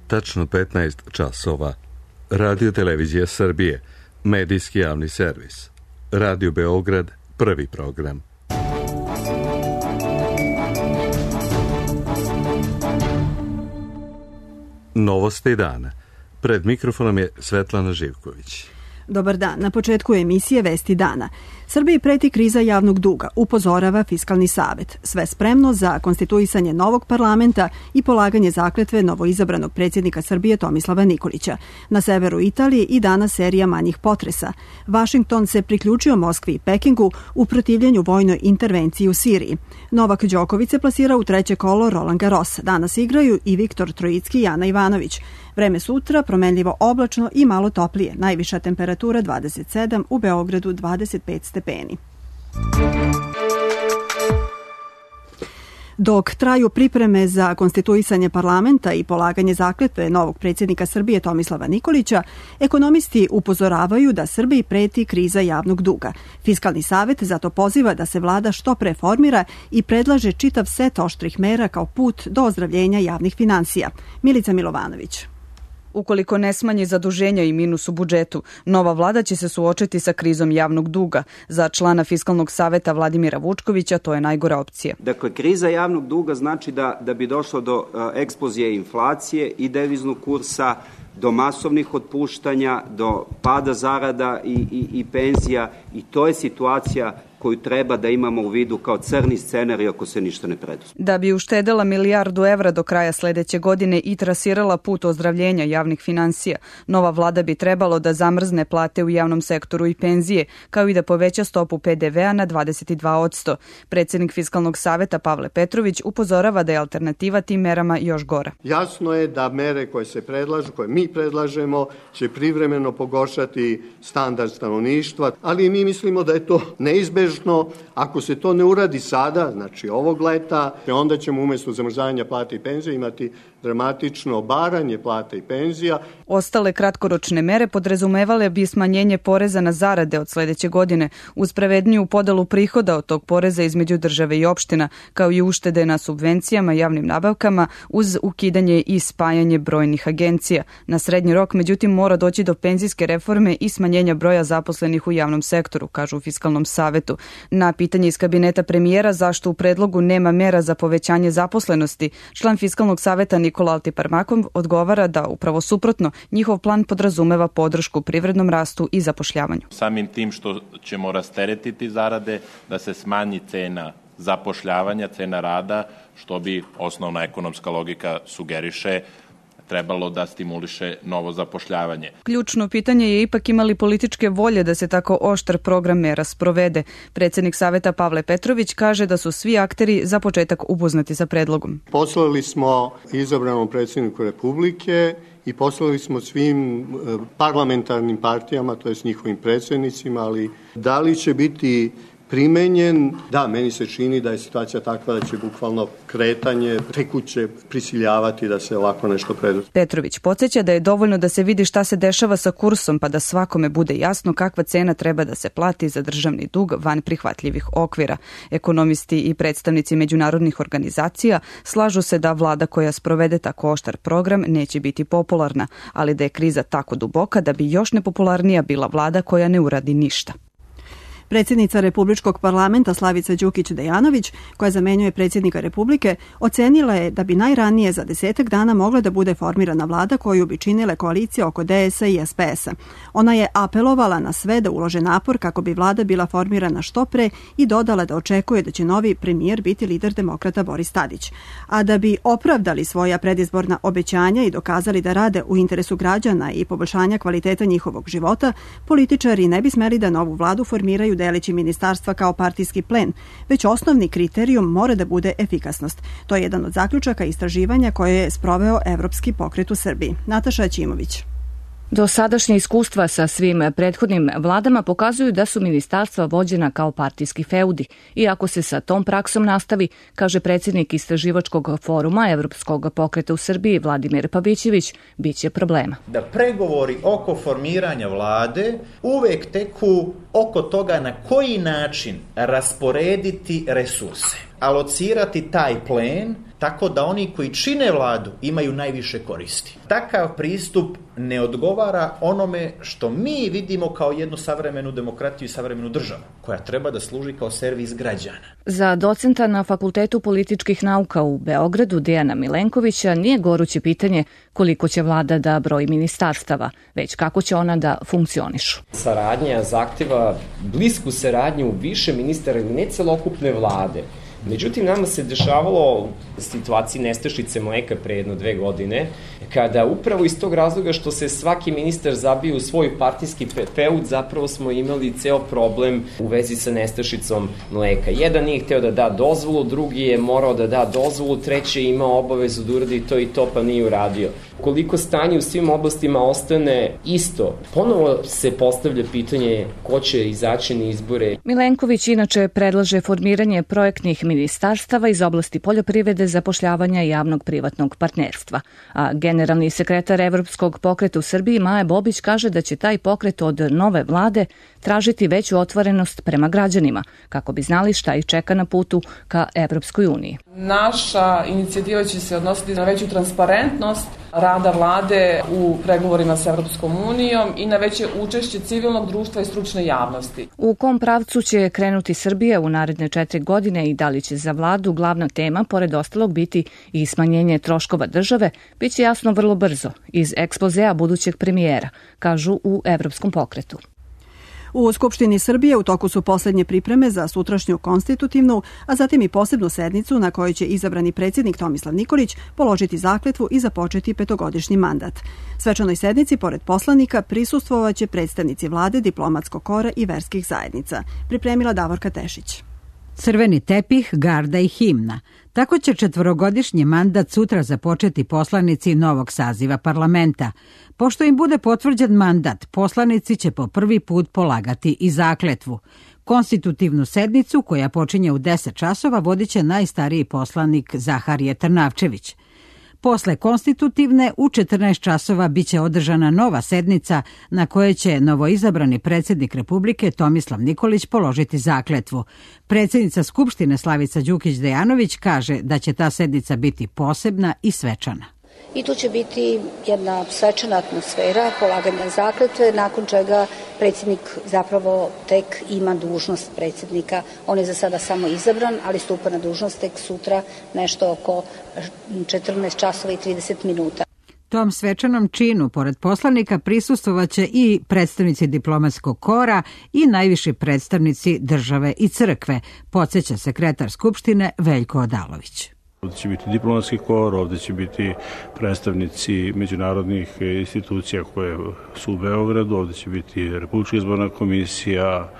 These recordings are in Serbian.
tačno 15 časova. Radio Televizija Srbije, medijski javni servis. Radio Beograd, prvi program. Novosti dana. Pred mikrofonom je Svetlana Živković. Dobar dan. Na početku emisije Vesti dana. Srbiji preti kriza javnog duga, upozorava Fiskalni savet. Sve spremno za konstituisanje novog parlamenta i polaganje zakletve novoizabranog predsjednika Srbije Tomislava Nikolića. Na severu Italije i danas serija manjih potresa. Vašington se priključio Moskvi i Pekingu u protivljenju vojnoj intervenciji u Siriji. Novak Đoković se plasira u treće kolo Roland Garros. Danas igraju i Viktor Trojicki i Ana Ivanović. Vreme sutra promenljivo oblačno i malo toplije. Najviša temperatura 27, u Beogradu 25 stepeni. Dok traju pripreme za konstituisanje parlamenta i polaganje zakletve novog predsjednika Srbije Tomislava Nikolića, ekonomisti upozoravaju da Srbiji preti kriza javnog duga. Fiskalni savet zato poziva da se vlada što pre formira i predlaže čitav set oštrih mera kao put do ozdravljenja javnih finansija. Milica Milovanović. Ukoliko ne smanji zaduženja i minus u budžetu, nova vlada će se suočiti sa krizom javnog duga. Za člana Fiskalnog saveta Vladimira Vučkovića to je najgora opcija. Dakle, kriza javnog duga znači da bi došlo do eksplozije inflacije i deviznog kursa, do masovnih otpuštanja, do pada zarada i penzija, i to je situacija koju treba da imamo u vidu kao crni scenarij ako se ništa ne preduzme. Da bi uštedela milijardu evra do kraja sledeće godine i trasirala put ozdravljenja javnih finansija, nova vlada bi trebalo da zamrzne plate u javnom sektoru i penzije, kao i da poveća stopu PDV-a na 22%. Predsjednik Fiskalnog saveta Pavle Petrović upozorava da je alternativa tim merama još gora. Jasno je da mere koje se predlažu, koje mi predlažemo, će privremeno pogoršati standard stanovništva, ali mi mislimo da je to neizbežno. Ako se to ne uradi sada, znači ovog leta, onda ćemo umjesto zamrzavanja plata i penzija imati dramatično obaranje plata i penzija. Ostale kratkoročne mere podrazumevale bi smanjenje poreza na zarade od sledeće godine, uz pravedniju podelu prihoda od tog poreza između države i opština, kao i uštede na subvencijama i javnim nabavkama, uz ukidanje i spajanje brojnih agencija. Na srednji rok, međutim, mora doći do penzijske reforme i smanjenja broja zaposlenih u javnom sektoru, kažu u Fiskalnom savetu. Na pitanje iz kabineta premijera zašto u predlogu nema mera za povećanje zaposlenosti, član Fiskalnog saveta Nikola Altiparmakov odgovara da upravo suprotno, njihov plan podrazumeva podršku privrednom rastu i zapošljavanju. Samim tim što ćemo rasteretiti zarade, da se smanji cena zapošljavanja, cena rada, što bi osnovna ekonomska logika sugeriše, trebalo da stimuliše novo zapošljavanje. Ključno pitanje je ipak imali političke volje da se tako oštar program mera sprovede. Predsjednik saveta Pavle Petrović kaže da su svi akteri za početak upoznati sa predlogom. Poslali smo izabranom predsjedniku Republike i poslali smo svim parlamentarnim partijama, to je s njihovim predsjednicima, ali da li će biti primenjen, da, meni se čini da je situacija takva da će bukvalno kretanje tekuće prisiljavati da se ovako nešto preduzme. Petrović podsjeća da je dovoljno da se vidi šta se dešava sa kursom, pa da svakome bude jasno kakva cena treba da se plati za državni dug van prihvatljivih okvira. Ekonomisti i predstavnici međunarodnih organizacija slažu se da vlada koja sprovede tako oštar program neće biti popularna, ali da je kriza tako duboka da bi još nepopularnija bila vlada koja ne uradi ništa. Predsjednica Republičkog parlamenta Slavica Đukić Dejanović, koja zamenjuje predsjednika Republike, ocenila je da bi najranije za 10 dana mogla da bude formirana vlada koju bi činile koalicije oko DS-a i SPS-a. Ona je apelovala na sve da ulože napor kako bi vlada bila formirana što pre i dodala da očekuje da će novi premijer biti lider demokrata Boris Tadić. A da bi opravdali svoja predizborna obećanja i dokazali da rade u interesu građana i poboljšanja kvaliteta njihovog života, političari ne bi smeli da novu vladu formiraju deleći ministarstva kao partijski plen, već osnovni kriterijum mora da bude efikasnost. To je jedan od zaključaka istraživanja koje je sproveo Evropski pokret u Srbiji. Nataša Aćimović. Dosadašnje iskustva sa svim prethodnim vladama pokazuju da su ministarstva vođena kao partijski feudi i ako se sa tom praksom nastavi, kaže predsjednik istraživačkog foruma Evropskog pokreta u Srbiji Vladimir Pavićević, bit će problema. Da pregovori oko formiranja vlade uvek teku oko toga na koji način rasporediti resurse, alocirati taj plen tako da oni koji čine vladu imaju najviše koristi. Takav pristup ne odgovara onome što mi vidimo kao jednu savremenu demokratiju i savremenu državu, koja treba da služi kao servis građana. Za docenta na Fakultetu političkih nauka u Beogradu Dejana Milenkovića nije goruće pitanje koliko će vlada da broji ministarstava, već kako će ona da funkcionišu. Saradnja zahteva blisku saradnju više ministara ili ne celokupne vlade. Međutim, nama se dešavalo u situaciji nestašice mleka pre 1-2 godine, kada upravo iz tog razloga što se svaki ministar zabio u svoj partijski feud, zapravo smo imali ceo problem u vezi sa nestašicom mleka. Jedan nije hteo da da dozvolu, drugi je morao da da dozvolu, treći je imao obavezu da uradi to i to, pa nije uradio. Koliko stanje u svim oblastima ostane isto, ponovo se postavlja pitanje ko će izaći na izbore. Milenković inače predlaže formiranje projektnih ministarstava iz oblasti poljoprivrede, zapošljavanja i javnog privatnog partnerstva. A generalni sekretar Evropskog pokreta u Srbiji Maja Bobić kaže da će taj pokret od nove vlade tražiti veću otvorenost prema građanima, kako bi znali šta ih čeka na putu ka Evropskoj uniji. Naša inicijativa će se odnositi na veću transparentnost rada vlade u pregovorima sa Evropskom unijom i na veće učešće civilnog društva i stručne javnosti. U kom pravcu će krenuti Srbija u naredne 4 godine i da li će za vladu glavna tema, pored ostalog, biti i smanjenje troškova države, bit će jasno vrlo brzo iz ekspozea budućeg premijera, kažu u Evropskom pokretu. U Skupštini Srbije u toku su poslednje pripreme za sutrašnju konstitutivnu, a zatim i posebnu sednicu na kojoj će izabrani predsjednik Tomislav Nikolić položiti zakletvu i započeti 5-godišnji mandat. Svečanoj sednici, pored poslanika, prisustvovaće predstavnici vlade, diplomatskog kora i verskih zajednica. Pripremila Davorka Tešić. Crveni tepih, garda i himna. Tako će 4-godišnji mandat sutra započeti poslanici novog saziva parlamenta. Pošto im bude potvrđen mandat, poslanici će po prvi put polagati i zakletvu. Konstitutivnu sednicu, koja počinje u 10 časova, vodit će najstariji poslanik Zaharije Trnavčević. Posle konstitutivne u 14 časova biće održana nova sednica na kojoj će novoizabrani predsjednik Republike Tomislav Nikolić položiti zakletvu. Predsjednica Skupštine Slavica Đukić-Dejanović kaže da će ta sednica biti posebna i svečana. I tu će biti jedna svečana atmosfera polaganja zakletve, nakon čega predsjednik zapravo tek ima dužnost predsjednika. On je za sada samo izabran, ali stupa na dužnost tek sutra nešto oko 14 časova i 30 minuta. Tom svečanom činu, pored poslanika, prisustvovaće i predstavnici diplomatskog kora i najviši predstavnici države i crkve, podsjeća sekretar Skupštine Veljko Odalović. Ovdje će biti diplomatski kor, ovdje će biti predstavnici međunarodnih institucija koje su u Beogradu, ovdje će biti Republička izborna komisija,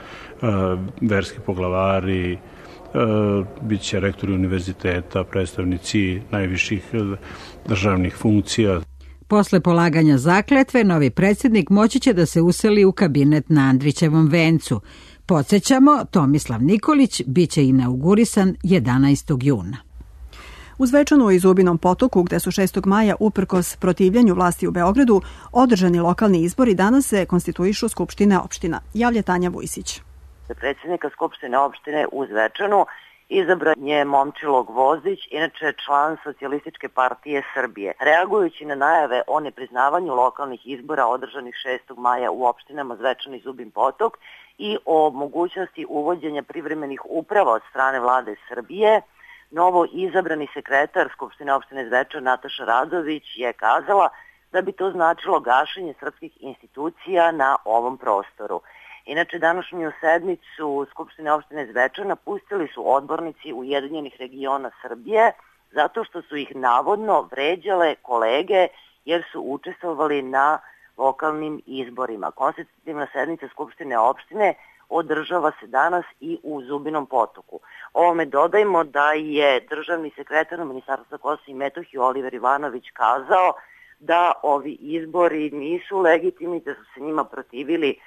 verski poglavari, bit će rektori univerziteta, predstavnici najviših državnih funkcija. Posle polaganja zakletve, novi predsjednik moći će da se useli u kabinet na Andrićevom vencu. Podsjećamo, Tomislav Nikolić biće inaugurisan 11. juna. U Zvečanu i Zubinom Potoku, gde su 6. maja uprkos protivljenju vlasti u Beogradu održani lokalni izbori, danas se konstituišu skupštine opština. Javlja Tanja Vujsić. Za predsjednika skupštine opštine u Zvečanu izabran je Momčilo Gvozdić, inače član Socijalističke partije Srbije. Reagujući na najave o nepriznavanju lokalnih izbora održanih 6. maja u opštinama Zvečan i Zubin Potok i o mogućnosti uvođenja privremenih uprava od strane vlade Srbije, novo izabrani sekretar Skupštine opštine Zvečan Nataša Radović je kazala da bi to značilo gašenje srpskih institucija na ovom prostoru. Inače, današnju sednicu Skupštine opštine Zvečan napustili su odbornici Ujedinjenih regiona Srbije zato što su ih navodno vređale kolege jer su učestvovali na lokalnim izborima. Konstitutivna sednica Skupštine opštine održava se danas i u Zubinom Potoku. Ovome dodajmo da je državni sekretar Ministarstva Kosova i Metohije Oliver Ivanović kazao da ovi izbori nisu legitimni, da su se njima protivili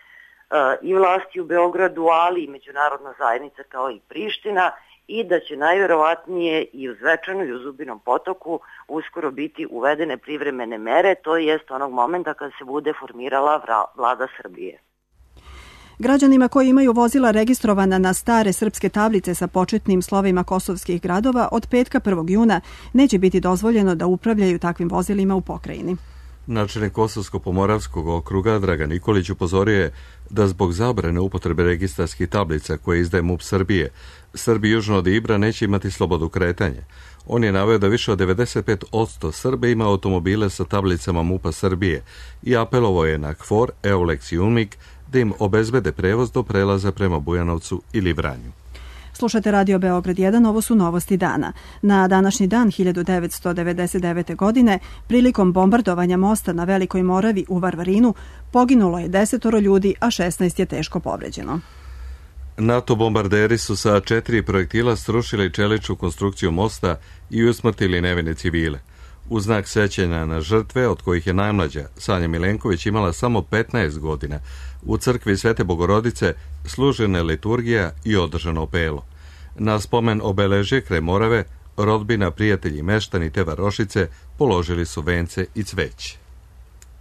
i vlasti u Beogradu, ali i međunarodna zajednica kao i Priština i da će najverovatnije i u Zvečanu i u Zubinom Potoku uskoro biti uvedene privremene mere, to jest onog momenta kada se bude formirala vlada Srbije. Građanima koji imaju vozila registrovana na stare srpske tablice sa početnim slovima kosovskih gradova od petka 1. juna neće biti dozvoljeno da upravljaju takvim vozilima u pokrajini. Načelnik Kosovsko-Pomoravskog okruga Dragan Nikolić upozorio je da zbog zabrane upotrebe registarskih tablica koje izdaje MUP Srbije, Srbi južno od Ibra neće imati slobodu kretanja. On je naveo da više od 95% Srbe ima automobile sa tablicama MUP-a Srbije i apelovao je na KFOR, EULEX i UNMIK da im obezbede prevoz do prelaza prema Bujanovcu ili Vranju. Slušate Radio Beograd 1, ovo su novosti dana. Na današnji dan 1999. godine, prilikom bombardovanja mosta na Velikoj Moravi u Varvarinu, poginulo je 10 ljudi, a 16 je teško povređeno. NATO bombarderi su sa 4 projektila srušili čeličnu konstrukciju mosta i usmrtili nevine civile. U znak sećanja na žrtve, od kojih je najmlađa, Sanja Milenković, imala samo 15 godina, u crkvi Svete Bogorodice služena je liturgija i održano opelo. Na spomen obeležje kraj Morave, rodbina, prijatelji, meštani te varošice položili su vence i cveće.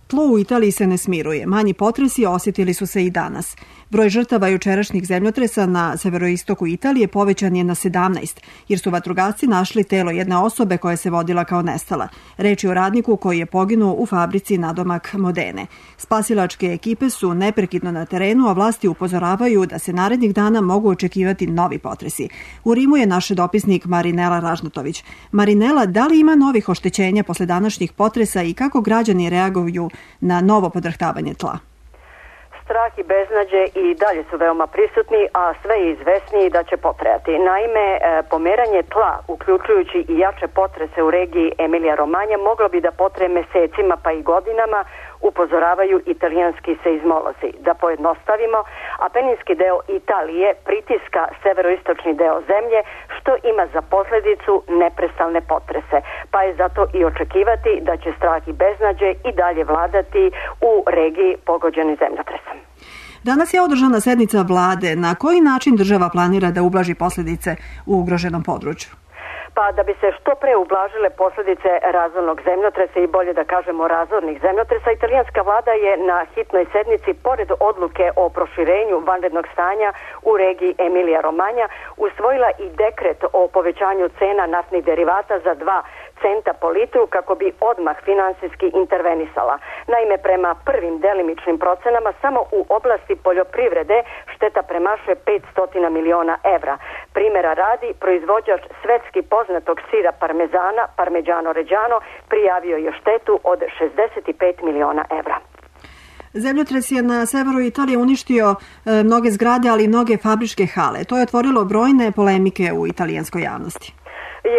Tlo u Italiji se ne smiruje. Manji potresi osjetili su se i danas. Broj žrtava jučerašnjih zemljotresa na severoistoku Italije povećan je na 17, jer su vatrogasci našli telo jedne osobe koja se vodila kao nestala. Reč je o radniku koji je poginuo u fabrici nadomak Modene. Spasilačke ekipe su neprekidno na terenu, a vlasti upozoravaju da se narednih dana mogu očekivati novi potresi. U Rimu je naš dopisnik Marinela Ražnatović. Marinela, da li ima novih oštećenja posle današnjih potresa i kako građani reaguju na novo podrhtavanje tla? Strah i beznađe i dalje su veoma prisutni, a sve je izvesniji da će potrajati. Naime, pomeranje tla, uključujući i jače potrese u regiji Emilija-Romanja, moglo bi da potraje mesecima pa i godinama, upozoravaju italijanski seizmolozi. Da pojednostavimo, apeninski deo Italije pritiska severoistočni deo zemlje, što ima za posledicu neprestalne potrese. Pa je zato i očekivati da će strah i beznađe i dalje vladati u regiji pogođeni zemljotresom. Danas je održana sednica vlade. Na koji način država planira da ublaži posljedice u ugroženom području? Pa da bi se što pre ublažile posljedice razornog zemljotresa i bolje da kažemo razornih zemljotresa, italijanska vlada je na hitnoj sednici, pored odluke o proširenju vanrednog stanja u regiji Emilija-Romanja, usvojila i dekret o povećanju cena naftnih derivata za 2 centa po litru kako bi odmah finansijski intervenisala. Naime, prema prvim delimičnim procenama samo u oblasti poljoprivrede šteta premašuje 500 miliona evra. Primjera radi, proizvođač svetski poznatog sira parmezana, Parmigiano Reggiano, prijavio je štetu od 65 miliona evra. Zemljotres je na severu Italije uništio mnoge zgrade, ali i mnoge fabričke hale. To je otvorilo brojne polemike u italijanskoj javnosti.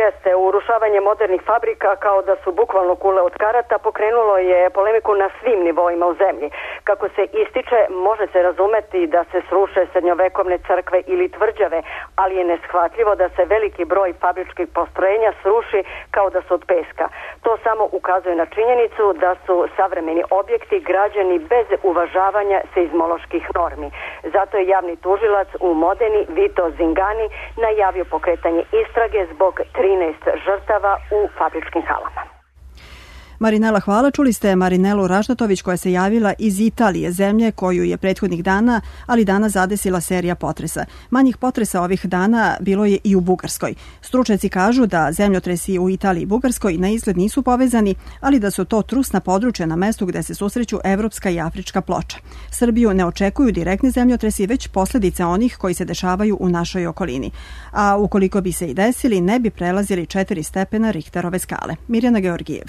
Jeste, urušavanje modernih fabrika kao da su bukvalno kule od karata pokrenulo je polemiku na svim nivoima u zemlji. Kako se ističe, može se razumeti da se sruše srednjovekovne crkve ili tvrđave, ali je neshvatljivo da se veliki broj fabričkih postrojenja sruši kao da su od peska. To samo ukazuje na činjenicu da su savremeni objekti građeni bez uvažavanja seizmoloških normi. Zato je javni tužilac u Modeni, Vito Zingani, najavio pokretanje istrage zbog 13 žrtava u fabričkim halama. Marinela, hvala. Čuli ste Marinelu Ražnatović koja se javila iz Italije, zemlje koju je prethodnih dana, ali danas zadesila serija potresa. Manjih potresa ovih dana bilo je i u Bugarskoj. Stručnjaci kažu da zemljotresi u Italiji i Bugarskoj na izgled nisu povezani, ali da su to trusna područja na mestu gde se susreću evropska i afrička ploča. Srbiju ne očekuju direktne zemljotresi, već posljedice onih koji se dešavaju u našoj okolini. A ukoliko bi se i desili, ne bi prelazili 4 stepena Richterove skale. Mirjana Georgijev.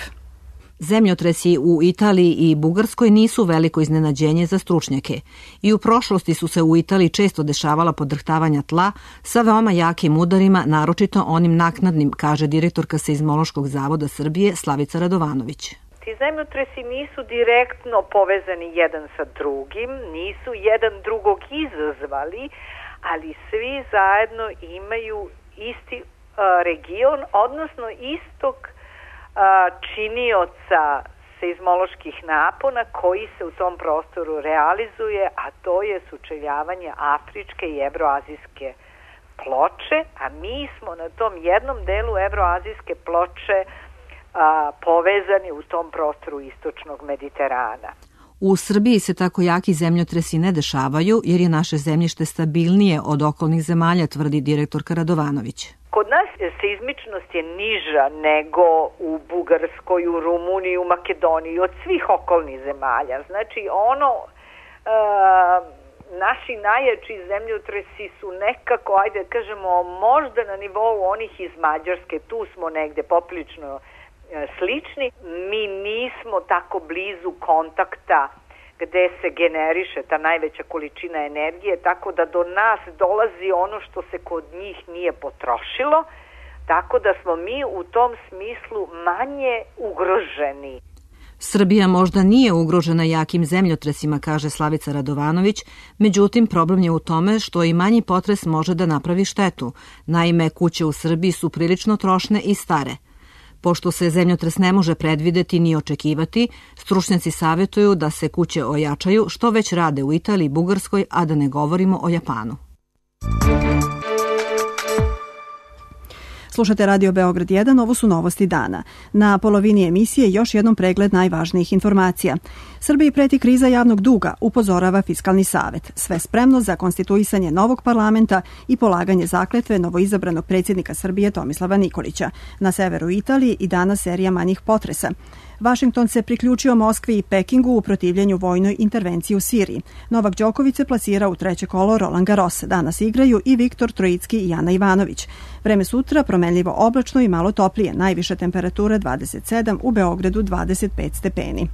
Zemljotresi u Italiji i Bugarskoj nisu veliko iznenađenje za stručnjake. I u prošlosti su se u Italiji često dešavala podrhtavanja tla sa veoma jakim udarima, naročito onim naknadnim, kaže direktorka Seizmološkog zavoda Srbije Slavica Radovanović. Ti zemljotresi nisu direktno povezani jedan sa drugim, nisu jedan drugog izazvali, ali svi zajedno imaju isti region, odnosno istog činioca seizmoloških napona koji se u tom prostoru realizuje, a to je sučeljavanje afričke i evroazijske ploče, a mi smo na tom jednom delu evroazijske ploče povezani u tom prostoru istočnog Mediterana. U Srbiji se tako jaki zemljotresi ne dešavaju jer je naše zemljište stabilnije od okolnih zemalja, tvrdi direktorka Radovanović. Kod nas seizmičnost je niža nego u Bugarskoj, u Rumuniji, u Makedoniji, od svih okolnih zemalja. Znači naši najjači zemljotresi su nekako, ajde kažemo, možda na nivou onih iz Mađarske, tu smo negde poprilično slični. Mi nismo tako blizu kontakta gde se generiše ta najveća količina energije, tako da do nas dolazi ono što se kod njih nije potrošilo, tako da smo mi u tom smislu manje ugroženi. Srbija možda nije ugrožena jakim zemljotresima, kaže Slavica Radovanović, međutim problem je u tome što i manji potres može da napravi štetu. Naime, kuće u Srbiji su prilično trošne i stare. Pošto se zemljotres ne može predvideti ni očekivati, stručnjaci savjetuju da se kuće ojačaju, što već rade u Italiji i Bugarskoj, a da ne govorimo o Japanu. Slušate Radio Beograd 1, ovo su novosti dana. Na polovini emisije još jednom pregled najvažnijih informacija. Srbiji preti kriza javnog duga, upozorava Fiskalni savet. Sve spremno za konstituisanje novog parlamenta i polaganje zakletve novoizabranog predsjednika Srbije Tomislava Nikolića. Na severu Italije i danas serija manjih potresa. Vašington se priključio Moskvi i Pekingu u protivljenju vojnoj intervenciji u Siriji. Novak Đoković se plasira u treće kolo Roland Garros. Danas igraju i Viktor Trojicki i Jana Ivanović. Vreme sutra promenljivo oblačno i malo toplije. Najviša temperatura 27, u Beogradu 25 stepeni.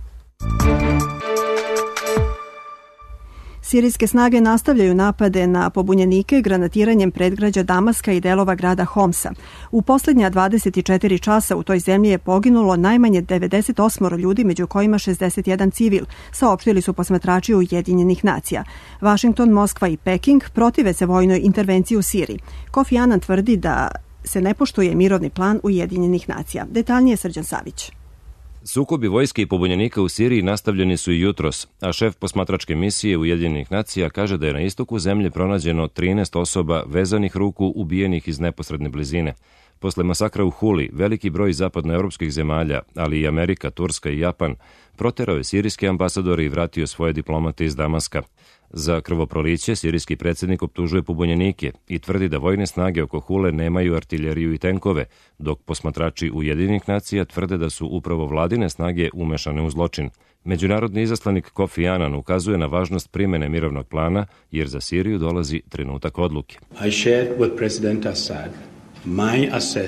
Sirijske snage nastavljaju napade na pobunjenike granatiranjem predgrađa Damaska i delova grada Homsa. U posljednja 24 časa u toj zemlji je poginulo najmanje 98 ljudi, među kojima 61 civil, saopštili su posmatrači Ujedinjenih nacija. Vašington, Moskva i Peking protive se vojnoj intervenciji u Siriji. Kofi Annan tvrdi da se ne poštuje mirovni plan Ujedinjenih nacija. Detaljnije Srđan Savić. Sukobi vojske i pobunjenika u Siriji nastavljeni su i jutros, a šef posmatračke misije Ujedinjenih nacija kaže da je na istoku zemlje pronađeno 13 osoba vezanih ruku ubijenih iz neposredne blizine. Posle masakra u Huli, veliki broj zapadnoevropskih zemalja, ali i Amerika, Turska i Japan, proterao je sirijske ambasadore i vratio svoje diplomate iz Damaska. Za krvoproliće sirijski predsjednik optužuje pobunjenike i tvrdi da vojne snage oko Hule nemaju artiljeriju i tenkove, dok posmatrači Ujedinjenih nacija tvrde da su upravo vladine snage umešane u zločin. Međunarodni izaslanik Kofi Annan ukazuje na važnost primene mirovnog plana, jer za Siriju dolazi trenutak odluke.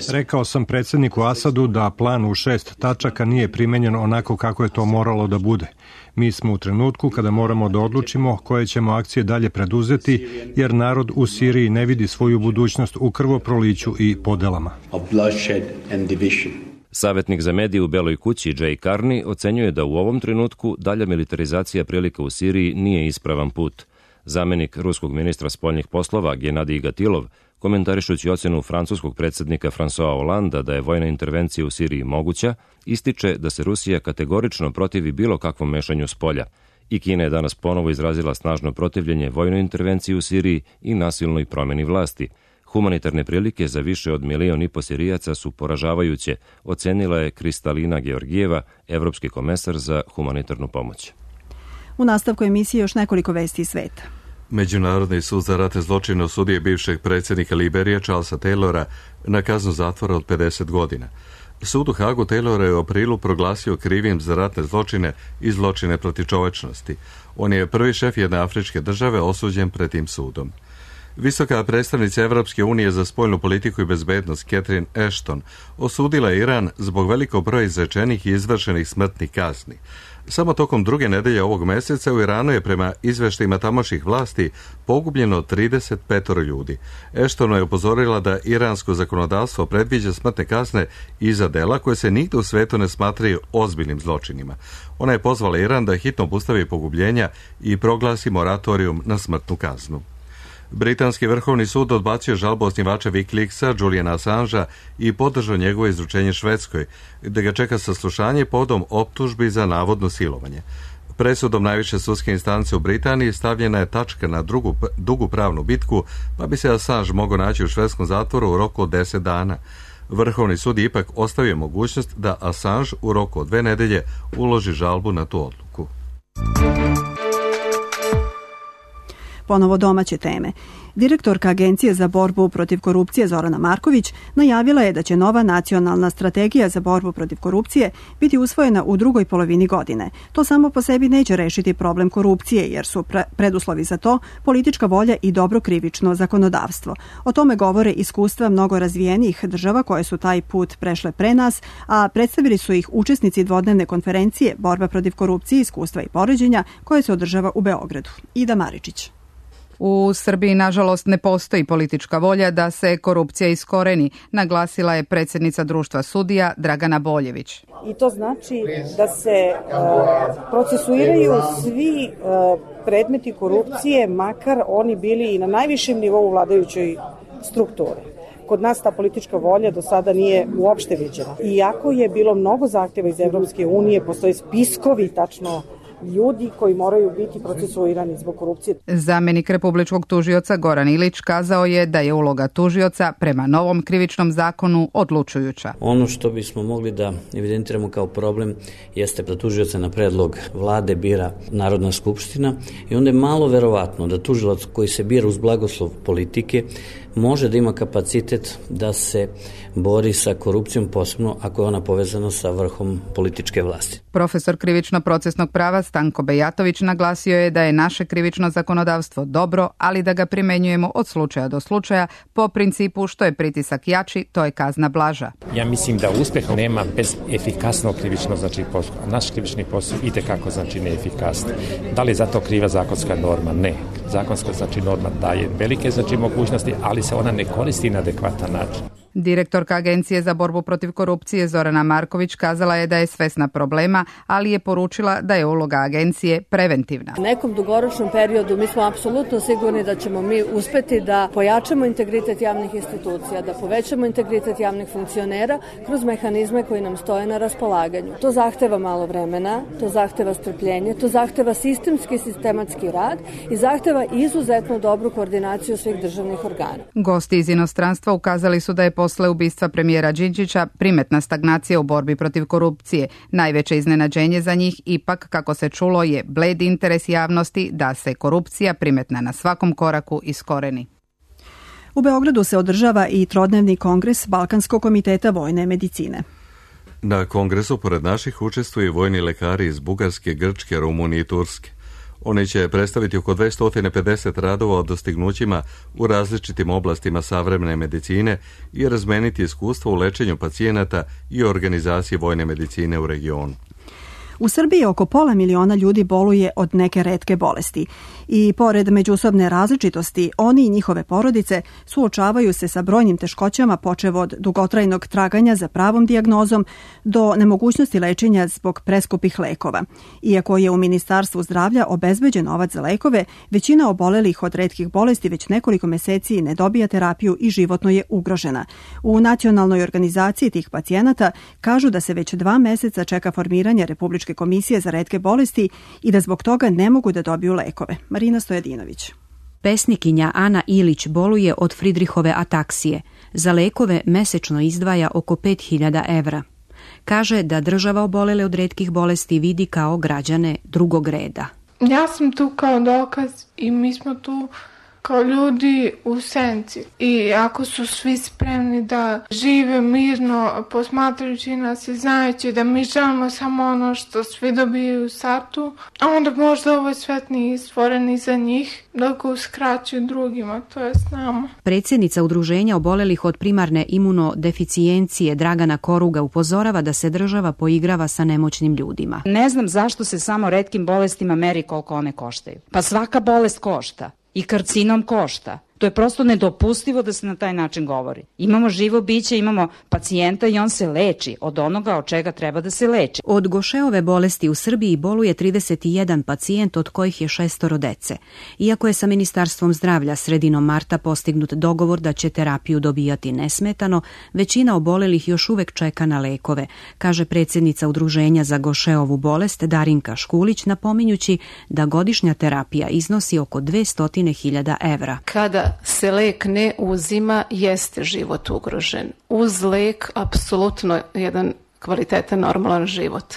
Rekao sam predsjedniku Asadu da plan u 6 tačaka nije primenjen onako kako je to moralo da bude. Mi smo u trenutku kada moramo da odlučimo koje ćemo akcije dalje preduzeti, jer narod u Siriji ne vidi svoju budućnost u krvoproliću i podelama. Savjetnik za medije u Beloj kući Jay Carney ocenjuje da u ovom trenutku dalja militarizacija prilika u Siriji nije ispravan put. Zamenik ruskog ministra spoljnih poslova Genadij Gatilov, komentarišući ocenu francuskog predsjednika François Hollanda da je vojna intervencija u Siriji moguća, ističe da se Rusija kategorično protivi bilo kakvom mešanju s polja. I Kina je danas ponovo izrazila snažno protivljenje vojnoj intervenciji u Siriji i nasilnoj promjeni vlasti. Humanitarne prilike za više od 1,5 miliona Sirijaca su poražavajuće, ocenila je Kristalina Georgijeva, evropski komesar za humanitarnu pomoć. U nastavku emisije još nekoliko vesti iz sveta. Međunarodni sud za ratne zločine osudio je bivšeg predsjednika Liberije Charlesa Taylora na kaznu zatvora od 50 godina. Sud u Hagu Taylora je u aprilu proglasio krivim za ratne zločine i zločine protiv čovečnosti. On je prvi šef jedne afričke države osuđen pred tim sudom. Visoka predstavnica Evropske unije za spoljnu politiku i bezbednost Catherine Ashton osudila je Iran zbog velikog broja izrečenih i izvršenih smrtnih kazni. Samo tokom druge nedelje ovog meseca u Iranu je prema izveštajima tamošnjih vlasti pogubljeno 35 ljudi. Ashton je upozorila da iransko zakonodavstvo predviđa smrtne kazne i za dela koje se nigde u svetu ne smatraju ozbiljnim zločinima. Ona je pozvala Iran da hitno obustavi pogubljenja i proglasi moratorijum na smrtnu kaznu. Britanski vrhovni sud odbacio žalbu osnivača Wikileaksa Juliana Assangea i podržao njegovo izručenje Švedskoj, gde ga čeka saslušanje povodom optužbi za navodno silovanje. Presudom najviše sudske instance u Britaniji stavljena je tačka na dugu pravnu bitku, pa bi se Assange mogao naći u švedskom zatvoru u roku od 10 dana. Vrhovni sud je ipak ostavio mogućnost da Assange u roku od 2 nedelje uloži žalbu na tu odluku. Ponovo domaće teme. Direktorka Agencije za borbu protiv korupcije Zorana Marković najavila je da će nova nacionalna strategija za borbu protiv korupcije biti usvojena u drugoj polovini godine. To samo po sebi neće rešiti problem korupcije, jer su preduslovi za to politička volja i dobro krivično zakonodavstvo. O tome govore iskustva mnogo razvijenijih država koje su taj put prešle pre nas, a predstavili su ih učesnici dvodnevne konferencije Borba protiv korupcije, iskustva i poređenja, koje se održava u Beogradu. Ida Maričić. U Srbiji, nažalost, ne postoji politička volja da se korupcija iskoreni, naglasila je predsjednica Društva sudija Dragana Boljević. I to znači da se procesuiraju svi predmeti korupcije, makar oni bili i na najvišem nivou vladajućoj strukturi. Kod nas ta politička volja do sada nije uopšte viđena. Iako je bilo mnogo zahtjeva iz Evropske unije, postoje spiskovi tačno ljudi koji moraju biti procesuirani zbog korupcije. Zamenik republičkog tužioca Goran Ilić kazao je da je uloga tužioca prema novom krivičnom zakonu odlučujuća. Ono što bismo mogli da evidentiramo kao problem jeste da tužioca na predlog vlade bira Narodna skupština i onda je malo verovatno da tužilac koji se bira uz blagoslov politike može da ima kapacitet da se bori sa korupcijom, posebno ako je ona povezana sa vrhom političke vlasti. Profesor krivično-procesnog prava Stanko Bejatović naglasio je da je naše krivično zakonodavstvo dobro, ali da ga primenjujemo od slučaja do slučaja po principu što je pritisak jači, to je kazna blaža. Ja mislim da uspjeha nema bez efikasnog krivičnog postupka. Naš krivični postupak itekako neefikasno. Da li je za to kriva zakonska norma? Ne. Zakonska norma daje velike mogućnosti, ali se ona ne koristi na adekvatan način. Direktorka Agencije za borbu protiv korupcije Zorana Marković kazala je da je svesna problema, ali je poručila da je uloga agencije preventivna. U nekom dugoročnom periodu mi smo apsolutno sigurni da ćemo mi uspeti da pojačamo integritet javnih institucija, da povećamo integritet javnih funkcionera kroz mehanizme koji nam stoje na raspolaganju. To zahteva malo vremena, to zahteva strpljenje, to zahteva sistematski rad i zahteva izuzetno dobru koordinaciju svih državnih organa. Gosti iz inostranstva ukazali su da je posle ubistva premijera Đinđića primetna stagnacija u borbi protiv korupcije. Najveće iznenađenje za njih ipak, kako se čulo, je bled interes javnosti da se korupcija primetna na svakom koraku iskoreni. U Beogradu se održava i trodnevni kongres Balkanskog komiteta vojne medicine. Na kongresu pored naših učestvuju vojni lekari iz Bugarske, Grčke, Rumunije i Turske. Oni će predstaviti oko 250 radova o dostignućima u različitim oblastima savremene medicine i razmeniti iskustva u lečenju pacijenata i organizaciji vojne medicine u regionu. U Srbiji oko 500.000 ljudi boluje od neke retke bolesti i pored međusobne različitosti, oni i njihove porodice suočavaju se sa brojnim teškoćama, počev od dugotrajnog traganja za pravom dijagnozom do nemogućnosti lečenja zbog preskupih lekova. Iako je u Ministarstvu zdravlja obezbeđen novac za lekove, većina obolelih od retkih bolesti već nekoliko meseci ne dobija terapiju i životno je ugrožena. U nacionalnoj organizaciji tih pacijenata kažu da se već 2 meseca čeka formiranje Republičke komisije za retke bolesti i da zbog toga ne mogu da dobiju lekove. Marina Stojadinović. Pesnikinja Ana Ilić boluje od Fridrihove ataksije. Za lekove mesečno izdvaja oko 5.000 evra. Kaže da država obolele od retkih bolesti vidi kao građane drugog reda. Ja sam tu kao dokaz i mi smo tu kao ljudi u senci. I ako su svi spremni da žive mirno posmatrajući nas i znajući da mi želimo samo ono što svi dobijaju u startu, onda možda ovaj svet nije stvoren i za njih, da ga uskraćuju drugima, to je s nama. Predsjednica Udruženja obolelih od primarne imunodeficijencije Dragana Koruga upozorava da se država poigrava sa nemoćnim ljudima. Ne znam zašto se samo retkim bolestima meri koliko one koštaju. Pa svaka bolest košta. I karcinom košta. To je prosto nedopustivo da se na taj način govori. Imamo živo biće, imamo pacijenta i on se leči od onoga od čega treba da se leči. Od Gošeove bolesti u Srbiji boluje 31 pacijent, od kojih je 6 dece. Iako je sa Ministarstvom zdravlja sredinom marta postignut dogovor da će terapiju dobijati nesmetano, većina obolelih još uvek čeka na lekove, kaže predsjednica Udruženja za Gošeovu bolest Darinka Škulić, napominjući da godišnja terapija iznosi oko 200.000 evra. Kada se lek ne uzima, jeste život ugrožen. Uz lek apsolutno jedan kvalitetan, normalan život.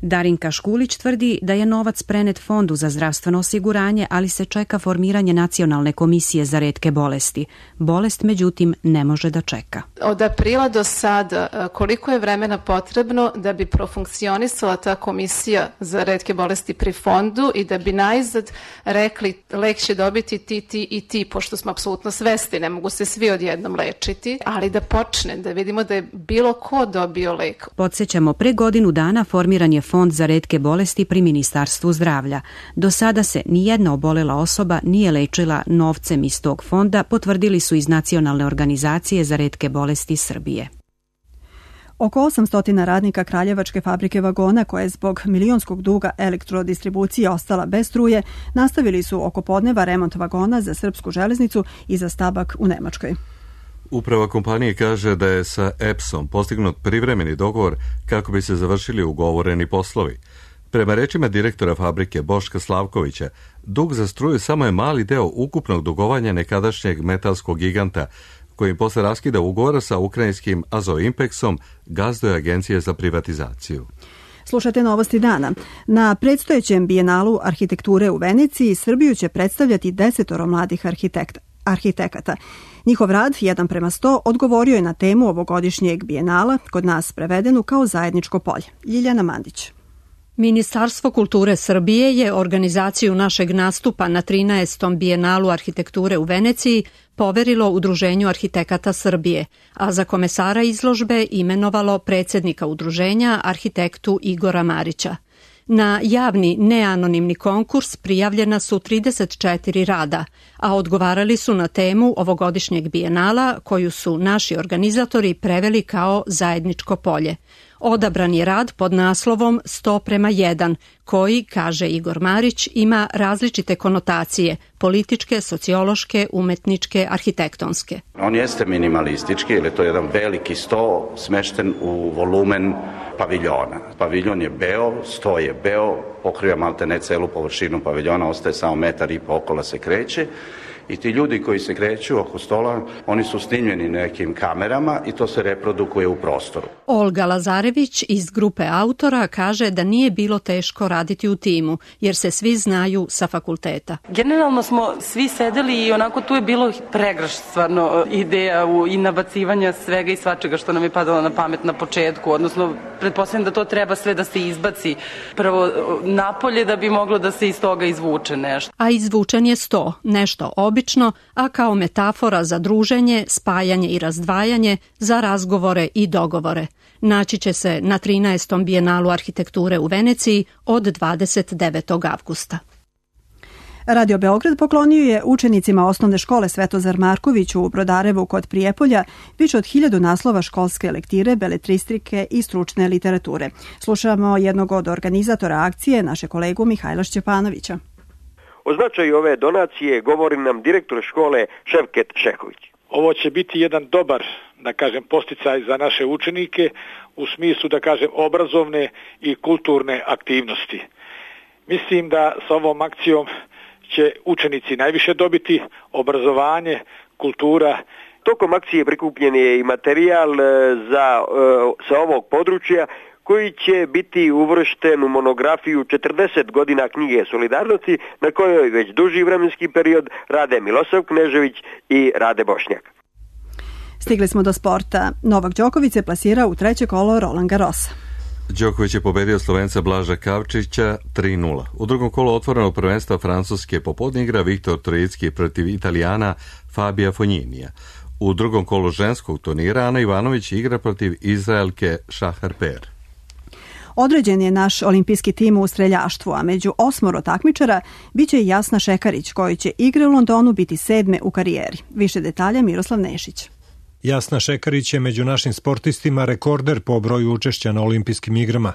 Darinka Škulić tvrdi da je novac prenet Fondu za zdravstveno osiguranje, ali se čeka formiranje Nacionalne komisije za retke bolesti. Bolest, međutim, ne može da čeka. Od aprila do sada, koliko je vremena potrebno da bi profunkcionisala ta komisija za retke bolesti pri Fondu i da bi najzad rekli lek će dobiti ti i ti, pošto smo apsolutno svesti, ne mogu se svi odjednom lečiti, ali da počne, da vidimo da je bilo ko dobio lek. Podsjećamo, pre godinu dana formiran je Fond za retke bolesti pri Ministarstvu zdravlja. Do sada se nijedna obolela osoba nije lečila novcem iz tog fonda, potvrdili su iz Nacionalne organizacije za retke bolesti Srbije. Oko 800 radnika Kraljevačke fabrike vagona, koja je zbog milionskog duga elektrodistribucije ostala bez struje, nastavili su oko podneva remont vagona za srpsku železnicu i za stabak u Nemačkoj. Uprava kompanije kaže da je sa EPS-om postignut privremeni dogovor kako bi se završili ugovoreni poslovi. Prema rečima direktora fabrike Boška Slavkovića, dug za struju samo je mali deo ukupnog dugovanja nekadašnjeg metalskog giganta, kojim posle raskida ugovora sa ukrajinskim Azoimpeksom gazduje Agencije za privatizaciju. Slušate novosti dana. Na predstojećem bijenalu arhitekture u Veneciji Srbiju će predstavljati 10 mladih arhitekata. Njihov rad, 1:100, odgovorio je na temu ovogodišnjeg bijenala, kod nas prevedenu kao zajedničko polje. Ljiljana Mandić. Ministarstvo kulture Srbije je organizaciju našeg nastupa na 13. bijenalu arhitekture u Veneciji poverilo Udruženju arhitekata Srbije, a za komesara izložbe imenovalo predsjednika udruženja, arhitektu Igora Marića. Na javni neanonimni konkurs prijavljena su 34 rada, a odgovarali su na temu ovogodišnjeg bijenala koju su naši organizatori preveli kao zajedničko polje. Odabran je rad pod naslovom 100:1, koji, kaže Igor Marić, ima različite konotacije, političke, sociološke, umetničke, arhitektonske. On jeste minimalistički, jer je to jedan veliki sto smešten u volumen paviljona. Paviljon je beo, sto je beo, pokriva maltene celu površinu paviljona, ostaje samo 1,5 metar okolo se kreće. I ti ljudi koji se kreću oko stola, oni su snimljeni nekim kamerama i to se reprodukuje u prostoru. Olga Lazarević iz grupe autora kaže da nije bilo teško raditi u timu, jer se svi znaju sa fakulteta. Generalno smo svi sedeli i onako tu je bilo pregršt stvarno ideja i nabacivanja svega i svačega što nam je padalo na pamet na početku, odnosno pretpostavljam da to treba sve da se izbaci prvo napolje da bi moglo da se iz toga izvuče nešto. A izvučen je 100, nešto obično, a kao metafora za druženje, spajanje i razdvajanje, za razgovore i dogovore. Naći će se na 13. bijenalu arhitekture u Veneciji od 29. avgusta. Radio Beograd poklonio je učenicima osnovne škole Svetozar Marković u Brodarevu kod Prijepolja više od 1000 naslova školske lektire, beletristike i stručne literature. Slušamo jednog od organizatora akcije, naše kolegu Mihajla Šćepanovića. O značaju ove donacije govori nam direktor škole Ševket Šehović. Ovo će biti jedan dobar, da kažem, posticaj za naše učenike u smislu, da kažem, obrazovne i kulturne aktivnosti. Mislim da sa ovom akcijom će učenici najviše dobiti, obrazovanje, kultura. Tokom akcije prikupljen je i materijal sa ovog područja koji će biti uvršten u monografiju 40 godina knjige Solidarnosti, na kojoj već duži vremenski period rade Milosav Knežević i Rade Bošnjak. Stigli smo do sporta. Novak Đoković se plasirao u 3. kolo Roland Garrosa. Đoković je pobedio Slovenca Blaža Kavčića 3:0. U drugom kolu otvorenog prvenstva Francuske popodne igra Viktor Trojicki protiv Italijana Fabija Fognинija. U drugom kolu ženskog turnira Ana Ivanović igra protiv Izraelke Šahar Per. Određen je naš olimpijski tim u streljaštvu, a među 8 takmičara biće i Jasna Šekarić, koji će igre u Londonu biti 7. u karijeri. Više detalja Miroslav Nešić. Jasna Šekarić je među našim sportistima rekorder po broju učešća na olimpijskim igrama.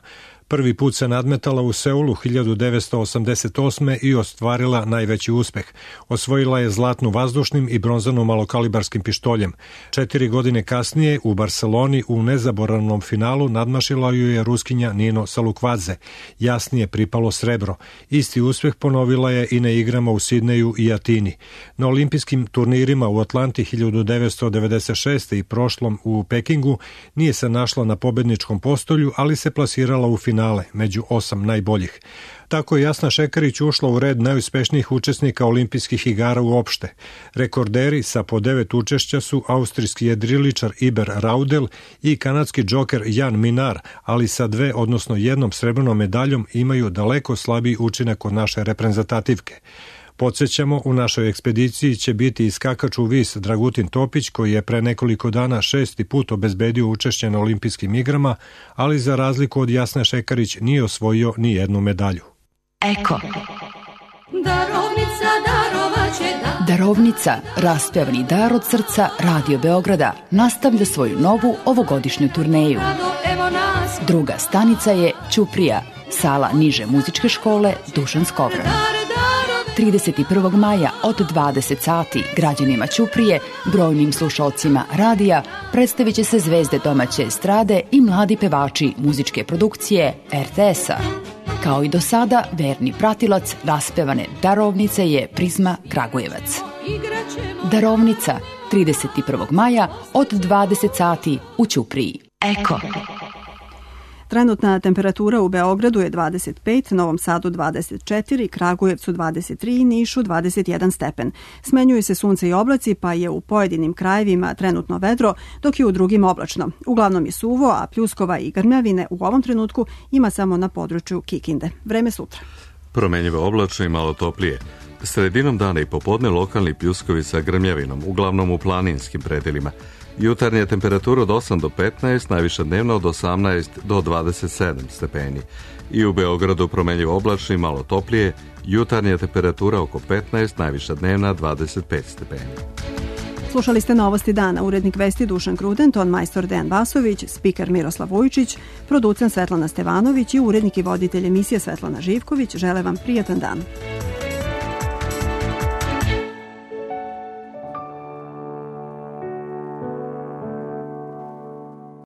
Prvi put se nadmetala u Seulu 1988. i ostvarila najveći uspeh. Osvojila je zlatnu vazdušnim i bronzanu malokalibarskim pištoljem. 4 godine kasnije u Barceloni u nezaboravnom finalu nadmašila ju je Ruskinja Nino Salukvadze. Jasnije pripalo srebro. Isti uspeh ponovila je i na igrama u Sidneju i Atini. Na olimpijskim turnirima u Atlanti 1996. i prošlom u Pekingu nije se našla na pobedničkom postolju, ali se plasirala u finalu finale, među 8 najboljih. Tako je Jasna Šekarić ušla u red najuspešnijih učesnika olimpijskih igara uopšte. Rekorderi sa po 9 učešća su austrijski jedriličar Iber Raudel i kanadski džoker Jan Minar, ali sa 2, odnosno 1 srebrnom medaljom imaju daleko slabiji učinak od naše reprezentativke. Podsjećamo, u našoj ekspediciji će biti i skakač u vis Dragutin Topić, koji je pre nekoliko dana 6. put obezbedio učešće na olimpijskim igrama, ali za razliku od Jasne Šekarić nije osvojio ni jednu medalju. Eko. Darovnica, raspevani dar od srca Radio Beograda, nastavlja svoju novu ovogodišnju turneju. Druga stanica je Ćuprija, sala niže muzičke škole Dušan Skovran. 31. maja od 20 sati građanima Ćuprije, brojnim slušalcima radija, predstavit će se zvezde domaće estrade i mladi pevači muzičke produkcije RTS-a. Kao i do sada, verni pratilac raspevane Darovnice je Prizma Kragujevac. Darovnica, 31. maja od 20 sati u Ćupriji. Eko. Trenutna temperatura u Beogradu je 25, Novom Sadu 24, Kragujevcu 23 i Nišu 21 stepen. Smenjuju se sunce i oblaci, pa je u pojedinim krajevima trenutno vedro, dok je u drugim oblačno. Uglavnom je suvo, a pljuskova i grmljavine u ovom trenutku ima samo na području Kikinde. Vreme sutra. Promenjivo oblačno i malo toplije. Sredinom dana i popodne lokalni pljuskovi sa grmljavinom, uglavnom u planinskim predelima. Jutarnja temperatura od 8 do 15, najviša dnevna od 18 do 27 stepeni. I u Beogradu promenjivo oblačno i malo toplije, jutarnja temperatura oko 15, najviša dnevna 25 stepeni. Slušali ste Novosti dana, urednik vesti Dušan Kruden, ton majstor Dejan Vasović, spiker Miroslav Vujčić, producent Svetlana Stevanović i urednik i voditelj emisije Svetlana Živković. Žele vam prijatan dan.